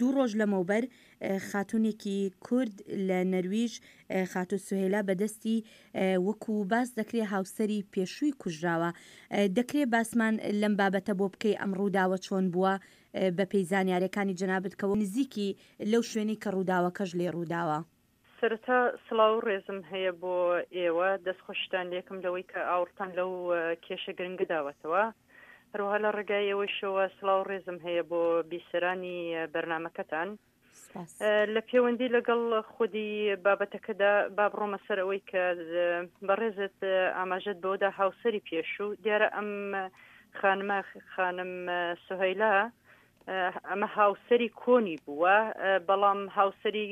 دوو ڕۆژ لەمەوبەر خاتوونێکی کورد لە نەرویژ خاتوو سوهێلا بەدەستی وەکو باس دەکرێ هاوسەری پێشووی کوژراوە. دەکرێ باسمان لەم بابەتە بۆ بکەی ئەم ڕووداوە چۆن بووە بەپێی زانیارەکانی جەنابت کە نزیکی لەو شوێنەی کە ڕووداوەکەش لێ ڕووداوە؟ سەرەتا سڵاو و ڕێزم هەیە بۆ ئێوە، دەستخۆشیتان لێکم لەوەی کە ئاوڕتان لەو کێشە گرنگە داوەتەوە. هەروەها لە ڕێگای ئێوەیشەوە سڵاو و ڕێزم هەیە بۆ بیسەرانی بەرنامەکەتان. سپاس. لە پێوەندی لەگەڵ خودی بابەتەکەدا با بڕۆمە سەر ئەوەی کە بەڕێزت ئاماژەت بەوەدا هاوسەری پێشوو، دیارە ئەم خانمە خانم سوهەیلا ئەمە هاوسەری کۆنی بووە بەڵام هاوسەری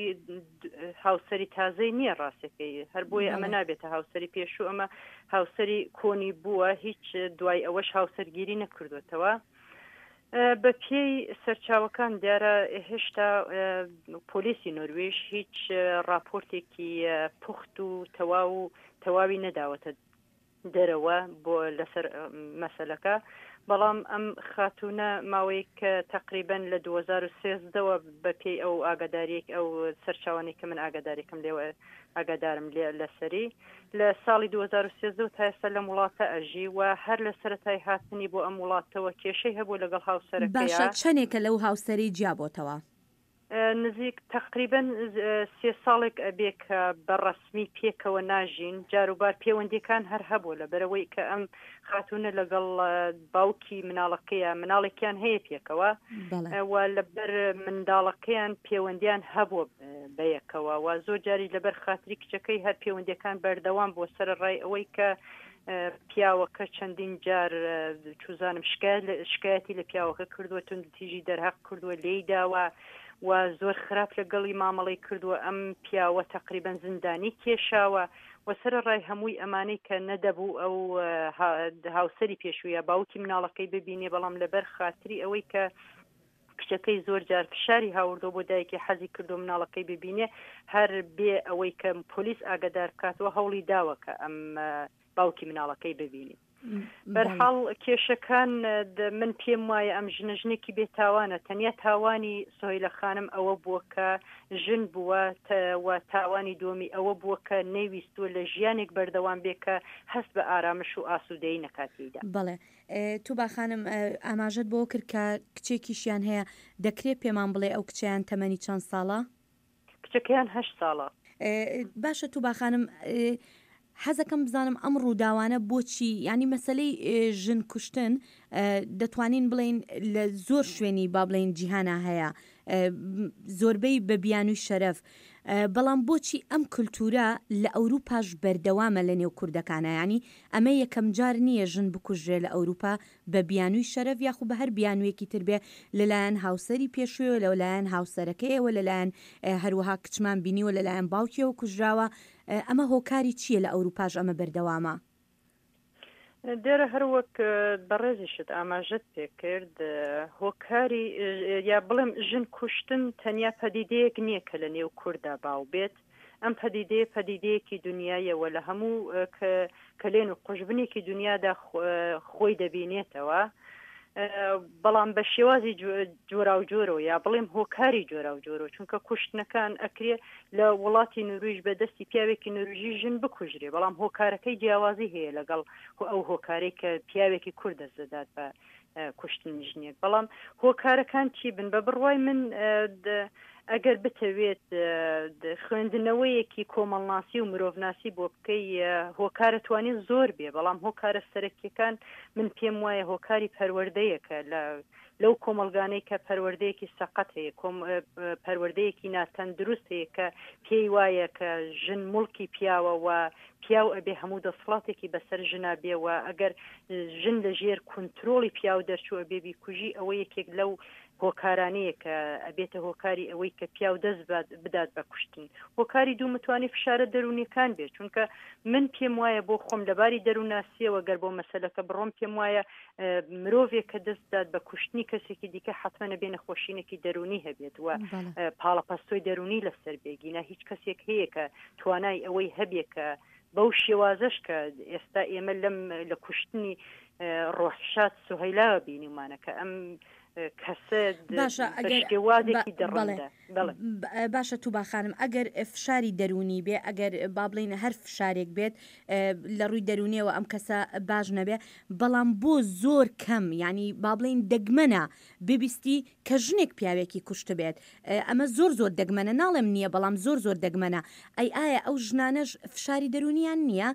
هاوسەری تازەی نییە ڕاستەکەی هەر بۆیە ئەمە نابێتە هاوسەری پێشوو ئەمە هاوسەری کۆنی بووە هیچ دوای ئەوەش هاوسەرگیری نەکردوێتەوە بە پێی سەرچاوەکان دیارە هێشتا پۆلیسی نۆروێژ هیچ راپۆرتێکی پوخت و تەواو و تەواوی نەداوەتە دەرەوە بۆ لەسەر مەسەلەکە بەڵام ئەم خاتوونە ماوەیەک کە تەقریبەن لە 2013 وە بە پێی ئەو ئاگاداریەک ئەو سەرچاوانەی کە من ئاگادارێکم لێوە ئاگادارم لێ لەسەری لە ساڵی 2013 تا ئێستا لەم وڵاتە ئەژی و هەر لە سەرەتای هاتنی بۆ ئەم وڵاتەوە کێشەی هەبوو لەگەڵ هاوسەرەکەیا. باشە چەنێکە لەو هاوسەرەی جیابۆتەوە؟ نزیک تەقریبەن سێ ساڵێک ئەبێ کە بە ڕەسمی پێکەوە ناژین، جاروبار پێوەندیەکان هەر هەبووە لەبەرئەوەی کە ئەم خاتوونە لەگەڵ باوکی مناڵەکەیە مناڵێکیان هەیە پێکەوە و لەبەر منداڵەکەیان پێوەندیان هەبووە بەیەکەوە و زۆر جاری لەبەر خاتری کچەکەی هەر پێوەندیەکان بەردەوام بووە سەرەڕای ئەوەی کە پیاوەکە چەندین جار چوزانم شکایەتی لە پیاوەکە کردووە توندوتیژی دەرهەق کردووە لێی داوە و زۆر خراپ لەگەڵی مامەڵەی کردووە ئەم پیاوە تەقریبەن زیندانی کێشاوە و سەرەڕای هەمووی ئەمانەی کە نەدەبوو ئەو هاوسەری پێشوویە باوکی مناڵەکەی ببینێ بەڵام لەبەر خاتری ئەوەی کە کچەکەی زۆر جار فشاری هاوردووە بۆ دایکی حەزی کردووە مناڵەکەی ببینێ هەر بێ ئەوەی کە پۆلیس ئاگادار بکاتەوە هەوڵی داوە کە ئەم باوکی مناڵەکەی ببینی بەرحاڵ کێشەکان من پێم وایە ئەم ژنە ژنێکی بێتاوانە تەنیا تاوانی سۆیلە خانم ئەوە بووە کە ژن بووە و تاوانی دووەمی ئەوە بووە کە نەیویستووە لە ژیانێک بەردەوام بێ کە هەست بە ئارامش و ئاسوودەیی نەکات تێیدا. بەڵێ توبا خانم ئاماژەت بەوە کرد کە کچێکیشیان هەیە، دەکرێ پێمان بڵێ ئەو کچەیان تەمەنی چەند ساڵە؟ کچەکەیان هەشت ساڵە. باشە توبا خانم حەزەکەم بزانم ئەم ڕووداوانە بۆچی یانی مەسەلەی ژن کوشتن دەتوانین بڵێین لە زۆر شوێنی با بڵێین جیهانا هەیە زۆربەی بە بیانووی شەرەف بەڵام بۆچی ئەم کلتورە لە ئەوروپاش بەردەوامە لە نێو کوردەکانا یانی ئەمە یەکەم جار نییە ژن بکوژرێ لە ئەوروپا بە بیانووی شەرەف یاخو بە هەر بیانوویەکی تر بێ لەلایەن هاوسەری پێشوویەوە لەلایەن هاوسەرەکەیەوە لەلایەن هەروەها کچمان بینیوە لەلایەن باوکیەوە کوژراوە ئەمە هۆکاری چییە لە ئەوروپاش ئەمە بەردەوامە؟ دیارە هەر وەک بەڕێزیشت ئاماژەت پێکرد هۆکاری یا بڵێم ژن کوشتن تەنیا پەدیدەیەک نییە کە لە نێو کووردا باو بێت ئەم پەدیدەیە پەدیدەیەکی دنیایە و لە هەموو کەلێن و قوژبنێکی دنیادا خۆی دەبینێتەوە بەڵام بە شێوازی جۆراوجۆرەوە یا بڵێم هۆکاری جۆراوجۆرەوە چونکە کوشتنەکان ئەکرێ لە وڵاتی نورویژ بە دەستی پیاوێکی نوروژی ژن بکوژرێ بەڵام هۆکارەکەی جیاوازی هەیە لەگەڵ ئەو هۆکارەی کە پیاوێکی کورد دەست دەدات بە کوشتنی ژنێک بەڵام هۆکارەکان چی بن بە بڕوای من ئەگەر بتەوێت خوێندنەوەیەکی کۆمەڵناسی و مرۆڤناسی بۆ بکەی هۆکارە توانێت زۆر بێ بەڵام هۆکارە سەرەکیەکان من پێم وایە هۆکاری پەروەردەیەکە لە لەو کۆمەڵگانەی کە پەروەردەیەکی سەقەت هەیە کۆم پەروەردەیەکی ناتەندروست هەیە کە پێی وایە کە ژن موڵکی پیاوە و پیاو ئەبێ هەموو دەسڵاتێکی بەسەر ژنا بێ و ئەگەر ژن لە ژێر کونترۆڵی پیاو دەرچوو ئەبێ بیکوژی ئەوە یەکێک لەو هۆکارانەیە کە ئەبێتە هۆکاری ئەوەی کە پیاو دەست بدات بە کوشتن هۆکاری دوو متوانی فشارە دەروونیەکان بێت چونکە من پێم وایە بۆ خۆم لەباری دەرووناسیەوە گەر بۆ مەسەلەکە بڕۆم پێم وایە مرۆڤێک کە دەست بدات بە کوشتنی کەسێکی دیکە حەتمەن ئەبێ نەخۆشینێکی دەروونی هەبێت و پاڵەپەستۆی دەروونی لەسەر بێ گینا هیچ کەسێک هەیە کە توانای ئەوەی هەبێ کە بەو شێوازەش کە ئێستا ئێمە لەم لە کوشتنی ڕۆحشاد سوهەیلاوە بینیومانە کە ئەم کەسە باشە بە ئەگەر شێوازێکی بەڵێ دڕندە بەڵێ. باشە توبا خانم ئەگەر فشاری دەروونی بێ ئەگەر با بڵێین هەر فشارێک بێت لە ڕووی دەروونیەوە ئەم کەسە باش نەبێ بەڵام بۆ زۆر کەم یانی با بڵێین دەگمەنە ببیستی کە ژنێک پیاوێکی کوشتبێت ئەمە زۆر زۆر دەگمەنە ناڵێم نییە بەڵام زۆر زۆر دەگمەنە ئەی ئایا ئەو ژنانەش فشاری دەروونیان نییە؟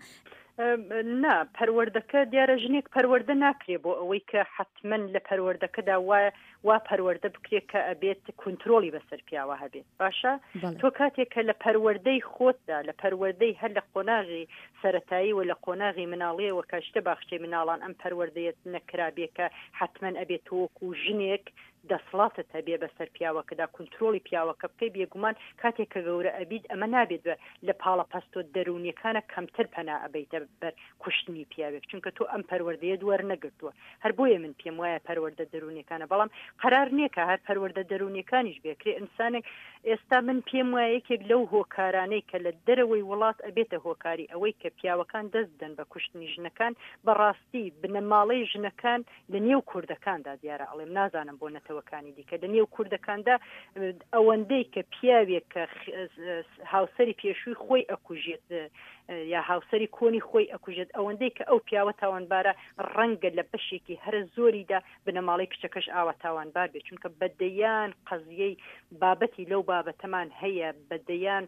نا پەروەردەکە دیارە ژنێک پەروەردە ناکرێ بۆ ئەوەی کە حەتمەن لە پەروەردەکەدا وا وا پەروەردە بکرێت کە ئەبێت کونترۆڵی بەسەر پیاوە هەبێت باشە تۆ کاتێک کە لە پەروەردەی خۆتدا لە پەروەردەی هەر لە قۆناغی سەتایی و لە قۆناغی مناڵیەوە کە شتە باخچەی مناڵان ئەم پەروەردەیەت نەکرابێ کە حەتمەن ئەبێت تۆ وەکو ژنێک دەسڵاتت هەبێ بەسەر پیاوەکەدا کونترۆڵی پیاوەکە بکەی بێگومان کاتێک کە گەورە ئەبیت ئەمە نابێت بە لە پاڵە پەستۆ دەروونیەکانە کەمتر پەنا ئەبەیتە بەر کوشتنی پیاوێک چونکە تۆ ئەم پەروەردەیەت وەرنەگرتووە هەر بۆیە من پێم وایە پەروەردە دەروونیەکانە بەڵام قەرار نییە کە هەر پەروەردە دەروونیەکانیش بێکرێ ئینسانێک ئێستا من پێم وایە یەکێک لەو هۆکارانەی کە لە دەرەوەی وڵات ئەبێتە هۆکاری ئەوەی کە پیاوەکان دەست بدەن بە کوشتنی ژنەکان بەڕاستی بنەماڵەی ژنەکان لە نێو کوردەکاندا دیارە ئەڵێم نازانم بۆ نەتەوەکانی دیکە لە نێو کوردەکاندا ئەوەندەی کە پیاوێک کە هاوسەری پێشووی خۆی ئەکوژێت یا هاوسەری کۆنی خۆی ئەکوژێت ئەوەندەی کە ئەو پیاوە تاوانبارە ڕەنگە لە بەشێکی هەرە زۆریدا بنەماڵەی کچەکەش ئاوا تاوانبار بێت چونکە بەدەیان قەزیەی بابەتی لەو بابەتەمان هەیە بەدەیان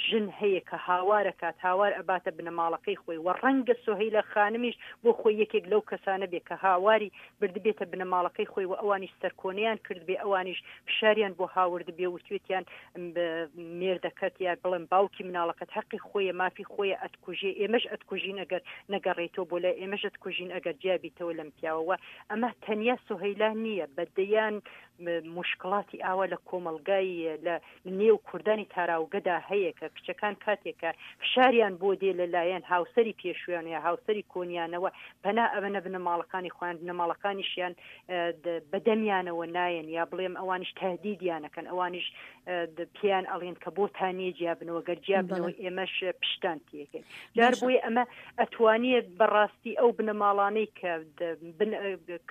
ژن هەیە کە هاوار ئەکات، هاوار ئەباتە بنەماڵەکەی خۆی و ڕەنگە سوهەیلە خانمیش بۆ خۆی یەکێک لەو کەسانە بێ کە هاواری بردبێتە بنەماڵەکەی خۆی و ئەوانیش سەرکۆنەیان کردبێ، ئەوانیش فشاریان بۆ هاوردبێ وتوێتیان مێردەکەت یا بڵێم باوکی مناڵەکەت هەقی خۆیە مافی خۆیە ئەتکوژێ ئێمەش ئەتکوژین ئەگەر نەگەڕێیتەوە بۆ لای ئێمەش ئەتکوژین ئەگەر جیا بیتەوە لەم پیاوە و ئەمە تەنیا سوهەیلا نییە بە دەیان موشکڵاتی ئاوا لە کۆمەڵگای لە نێو کوردانی تاراوگەدا هەیە کە کچەکان کاتێک کە فشاریان بۆ دێ لە لایەن هاوسەری پێشویان یا هاوسەری کۆنیانەوە پەنا ئەبەنە بنەماڵەکانی خۆیان بنەماڵەکانیشیان بە دەمیانەوە نایەن یا بڵێم ئەوانیش تهدیدیانەکەن ئەوانیش پێیان ئەڵێن کە بۆتان نییە جیابنەوە گەر جیابنەوە ئێمەش پشتان تێکەین جار بۆیە ئەمە ئەتوانێت بەڕاستی ئەو بنەماڵانەی کە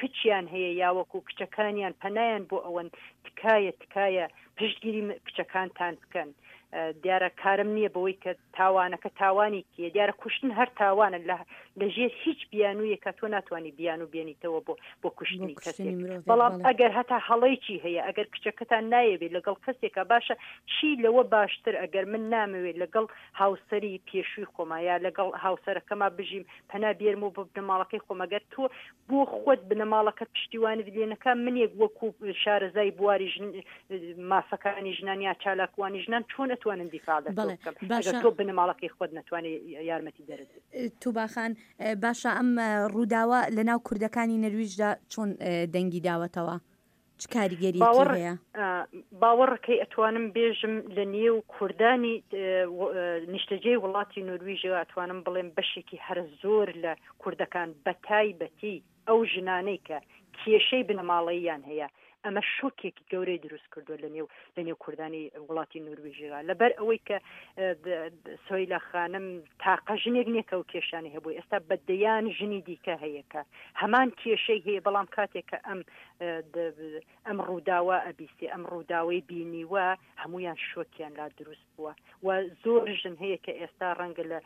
کچیان هەیە یاوەکو کچەکانیان پەنایان بۆ ئەوەن تکایە تکایە پشتگیری کچەکانتان بکەن دیارە کارم نییە بەوەی کە تاوانەکە تاوانی کێ دیارە کوشتن هەر تاوانە لە لەژێر هیچ بیانوویەکە تۆ ناتوانانی بیان و بێنیتەوە بۆ بۆ کوشتنی کەسێک بەڵام ئەگەر هەتا هەڵەیەکی هەیە ئەگەر کچەکەتان نایەوێت لەگەڵ کەسێکە باشە چی لەوە باشتر ئەگەر من نامەوێت لەگەڵ هاوسەری پێشووی خۆما یا لەگەڵ هاوسەرەکەما بژیم پەنا بێرم و بۆ بنەماڵەکەی خۆم ئەگەر تۆ بۆ خۆت بنەماڵەکەت پشتیوانت لێ نەکا منێک وەکو شارەزای بواری ژن مافەکانی ژنان یا چالاکوانی ژنان چۆن ئەتوانم دیفاع لە تۆ بەڵێ بکەم ئەگەر باشە تۆ بنەماڵەکەی خۆت نەتوانی یارمەتی دەرت بی. توبا خان باشە ئەم ڕووداوە لەناو کوردەکانی نەرویجدا چۆن دەنگی داوەتەوە؟ چ کاریگەریەکی باوەڕ هەیە؟ باوەڕەکەی ئەتوانم بێژم لە نێو کوردانی نیشتەجێی وڵاتی نۆرویژەوە ئەتوانم بڵێم بەشێکی هەرە زۆر لە کوردەکان بەتایبەتی ئەو ژنانەی کە کێشەی بنەماڵەییان هەیە ئەمە شۆکێکی گەورەی دروست کردووە لە نێو لە نێو کوردانی وڵاتی نۆرویژەوە لەبەر ئەوەی کە سۆیلا خانم تاقە ژنێک نییە کە ئەو کێشانەی هەبوو ئێستا بە دەیان ژنی دیکە هەیە کە هەمان کێشەی هەیە بەڵام کاتێک کە ئەم ئەم ڕووداوە ئەبیسێ ئەم ڕووداوەی بینیوە هەمویان شۆکیان لا دروست بووە و زۆر ژن هەیە کە ئێستا ڕەنگە لە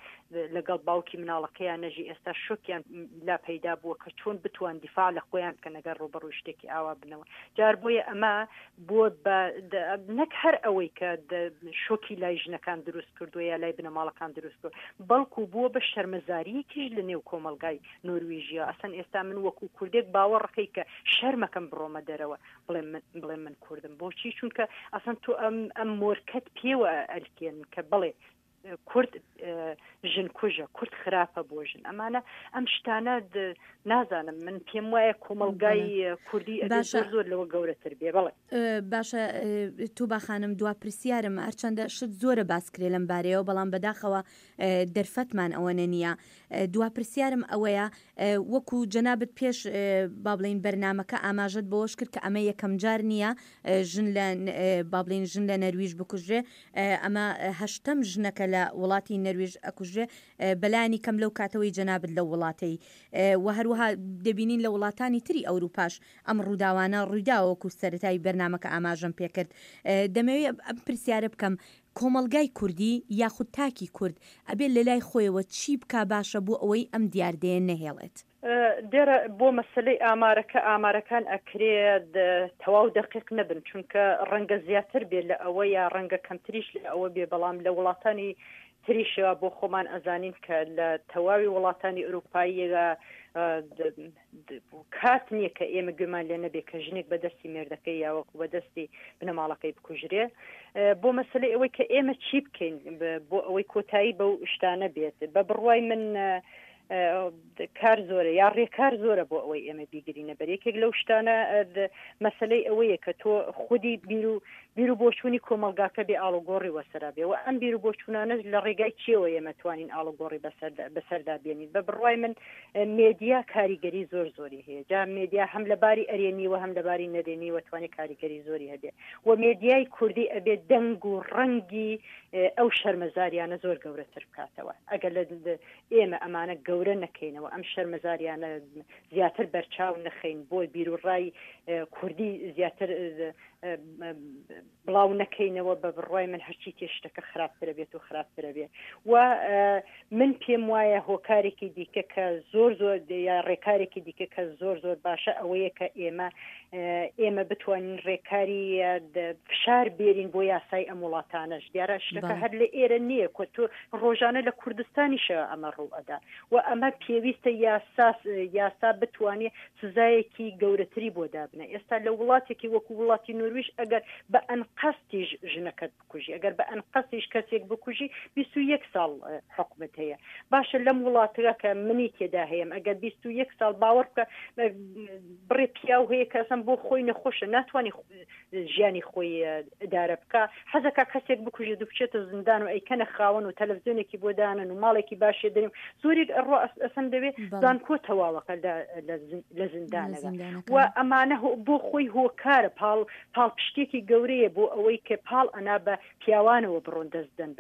لەگەڵ باوکی مناڵەکەیان نەژی ئێستا شۆکیان لا پەیدا بووە کە چۆن بتوان دیفاع لە خۆیان بکەن ئەگەر ڕووبەڕووی شتێکی ئاوا بنەوە جار بۆیە ئەمە بووە بە نەک هەر ئەوەی کە شۆکی لای ژنەکان دروست کردووە یا لای بنەماڵەکان دروست کرد بەڵکو بووە بە شەرمەزاریەکیش لە نێو کۆمەڵگای نۆرویژیا ئەسەن ئێستا من وەکو کوردێک باوەڕەکەی کە شەرمەکەم بڕۆمە دەرەوە بڵێم من بڵێم من کوردم بۆچی چونکە ئەسەن تۆ ئەم ئەم مۆرکەت پێوە ئەلکێن کە بڵێ کورد ژن کوژە کورد خراپە بۆ ژن ئەمانە ئەم شتانە نازانم من پێم وایە کۆمەلگای کوردی باشە زۆر لەوە گەورەتر بێ بڵێ باشە توبا خانم دوا پرسیارم هەرچەندە شت زۆرە باسکرێ لەم بارەیەوە بەڵام بەداخەوە دەرفەتمان ئەوەنە نییە. دوا پرسیارم ئەوەیە وەکو جەنابت پێش با بڵێین بەرنامەکە ئاماژەت بەوەش کرد کە ئەمە یەکەم جار نییە ژن لە با بڵێین ژن لە نەرویژ بکوژرێ ئەمە هەشتەم ژنەکە لە. لە وڵاتی نەرویژ ئەکوژرێ بەلایەنی کەم لەو کاتەوەی جەنابت لەو وڵاتەی و هەروەها دەبینین لە وڵاتانی تری ئەوروپاش ئەم ڕووداوانە ڕوویداوە وەکو سەرەتای بەرنامەکە ئاماژەم پێکرد دەمەوێت ئەم پرسیارە بکەم کۆمەڵگای کوردی یاخود تاکی کورد ئەبێ لەلای خۆیەوە چی بکا باشە بۆ ئەوەی ئەم دیاردەیە نەهێڵێت؟ دیارە بۆ مەسەلەی ئامارەکە ئامارەکان ئەکرێ تەواو دەقیق نەبن چونکە ڕەنگە زیاتر بێ لە ئەوە یا ڕەنگە کەمتریش لە ئەوە بێ بەڵام لە وڵاتانی تریشەوە بۆ خۆمان ئەزانین کە لە تەواوی وڵاتانی ئەوروپاییەوە کات نییە کە ئێمە گوێمان لێ نەبێ کە ژنێک بە دەستی مێردەکەی یا وەکو بە دەستی بنەماڵەکەی بکوژرێ بۆ مەسلەی ئەوەی کە ئێمە چی بکەین بۆ ئەوەی کۆتایی بەو شتانە بێت بە بڕوای من کار زۆرە یا ڕێکار زۆرە بۆ ئەوەی ئێمە بیگرینە بەر یەکێک لەو شتانە مەسلەی ئەوەیە کە تۆ خودی بیر و بیر و بۆچوونی کۆمەڵگاکە بێ ئاڵوگۆڕی وەسەرا بێ و ئەم بیر و بۆچوونانەش لە ڕێگای چیەوە ئێمە توانین ئاڵوگۆڕی بەسەردا بێنین بە بڕوای من مێدیا کاریگەری زۆر زۆری هەیە جا مێدیا هەم لە باری ئەرێنیوە هەم لە باری نەرێنیوە توانێت کاریگەری زۆری هەبێ و مێدیای کوردی ئەبێ دەنگ و ڕەنگی ئەو شەرمەزاریانە زۆر گەورەتر بکاتەوە ئەگەر لە ئێمە ئەمانە گەورە نەکەینەوە ئەم شەرمەزاریانە زیاتر بەرچاو نەخەین بۆ بیروڕای کوردی زیاتر بڵاو نەکەینەوە بە بڕوای من هەرچی تێ شتەکە خراپترە بێت و خراپترە بێ و من پێم وایە هۆکارێکی دیکە کە زۆر زۆر یا ڕێکارێکی دیکە کە زۆر زۆر باشە ئەوەیە کە ئێمە ئێمە بتوانین ڕێکاری فشار بێرین بۆ یاسای ئەم وڵاتانەش دیارە شتەکە هەر لە ئێرە نییە کە تۆ ڕۆژانە لە کوردستانیشەوە ئەمە ڕوو ئەدا و ئەمە پێویستە یاسا یاسا بتوانێ سزایەکی گەورەتری بۆ دابنە ئێستا لە وڵاتێکی وەکو وڵاتی نۆرویژ ئەگەر بە ئەنقەستیش ژنەکەت بکوژی ئەگەر بە ئەنقەستیش کەسێک بکوژی 21 ساڵ حکومت هەیە باشە لەم وڵاتەکە کە منی تێدا هەیەم ئەگەر 21 ساڵ باوەڕ بکە بڕێ پیاو هەیە کە ئەسەن بۆ خۆی نەخۆشە ناتوانانی ژیانی خۆی ئیدارە بکا حەزەکا کەسێک بکوژێت و بچێتە زیندان و ئەیکەنە خاوەن و تەلەفزیۆنێکی بۆ دانن و ماڵێکی باشێ دەرێ و زۆرێک ئەڕوا ئەسەن دەوێ زانکۆ تەواوەکە لە زیندانەکە و ئەمانە بۆ خۆی هۆکارە پاڵ پاڵپشتێکی گەورەیە بۆ ئەوەی کە پاڵ ئەنا بە پیاوانەوە بڕۆن دەست بدەن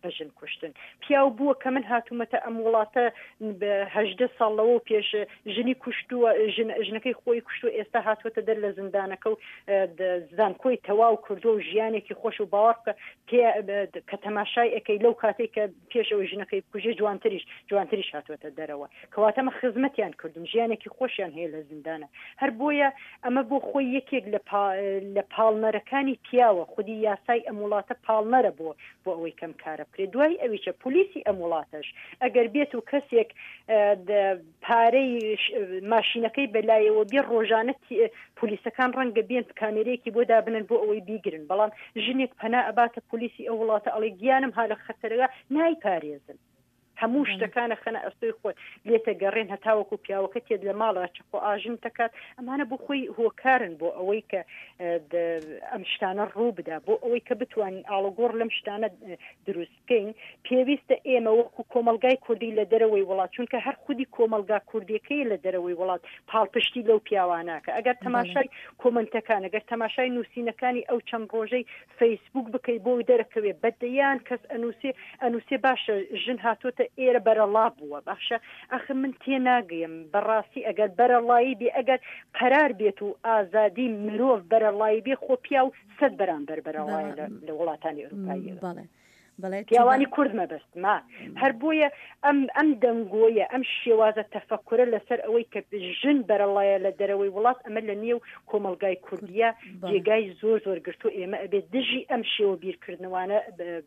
بە ژن کوشتن. پیاو بووە کە من هاتوومەتە ئەم وڵاتە 18 ساڵ لەوە پێش ژنی کوشتووە ژنەکەی خۆی کوشتووە ئێستا هاتووەتە دەر لە زیندانەکە و زانکۆی تەواو کردووە و ژیانێکی خۆش و باوەڕ بکە کە تەماشای ئەەکەی لەو کاتێک کە پێش ئەوەی ژنەکەی بکوژێ جوانتریش جوانتریش هاتووەتە دەرەوە کەواتە ئەمە خزمەتیان کردوم ژیانێکی خۆشیان هەیە لە زیندانە هەر بۆیە ئەمە بۆ خۆی یەکێک لە لە پاڵنەرەکانی پیاوە خودی یاسای ئەم وڵاتە پاڵنەرە بۆ بۆ ئەوەی کەم کارە بکرێت دوای ئەویچە پۆلیسی ئەم وڵاتەش ئەگەر بێت و کەسێک پارەی ماشینەکەی بەلایەوە بێ ڕۆژانە پۆلیسەکان ڕەنگە بێن کامێرەیەکی بۆ دابنن بۆ ئەوەی بیگرن بەڵام ژنێک پەنا ئەباتە پۆلیسی ئەو وڵاتە ئەڵێ گیانم ها لە خەتەرەوە نایپارێزن هەموو شتەکانە خەنە ئەستۆی خۆت لێتە گەڕێن هەتاوەکو پیاوەکە تێت لە ماڵەوە چەقۆ ئاژن دەکات ئەمانە بۆ خۆی هۆکارن بۆ ئەوەی کە ئەم شتانە ڕوو بدا بۆ ئەوەی کە بتوانین ئاڵوگۆڕ لەم شتانە دروست بکەین پێویستە ئێمە وەکو کۆمەڵگای کوردی لە دەرەوەی وڵات چونکە هەر خودی کۆمەڵگا کوردیەکەی لە دەرەوەی وڵات پاڵپشتی لەو پیاواناکە ئەگەر تەماشای کۆمنتەکان ئەگەر تەماشای نووسینەکانی ئەو چەند ڕۆژەی فەیسبوک بکەی بۆ دەرەکەوێ بەدەیان کەس ئەنووسێ ئەنووسێ باشە ژن هاتۆتە ئێرە بەرەڵا بووە باشە ئەخر من تێناگەیم بەڕاستی ئەگەر بەرەڵایی بێ ئەگەر قەرار بێت و ئازادی مرۆڤ بەرەڵایی بێ خۆ پیاو سەد بەرامبەر بەرەڵایە لە وڵاتانی ئەوروپاییەوە. بەڵێ بەڵێ پیاوانی کورد مەبەستمە هەر بۆیە ئەم ئەم دەنگۆیە ئەم شێوازە تەفەکورە لەسەر ئەوەی کە ژن بەرەڵایە لە دەرەوەی وڵات ئەمە لە نێو کۆمەڵگای کوردیە جێگای زۆر زۆر گرتو ئێمە ئەبێت دژی ئەم شێوە بیرکردنەوانە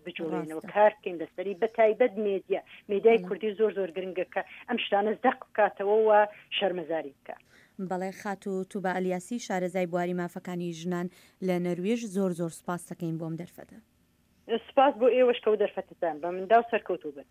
بجوڵێنەوە کار بکەین لەسەری بە تایبەت مێدیا مێدیای کوردی زۆر زۆر گرنگە کە ئەم شتانە زەق بکاتەوە و شەرمەزاری بکە. بەڵێ خاتوو توبا ئەلیاسی شارەزای بواری مافەکانی ژنان لە نەرویژ زۆر زۆر سوپاستەکەین بۆ ئەم دەرفەتە. سوپاس بۆ ئێوەش کە و دەرفەتەتان بە من دا و سەرکەوتوو بن.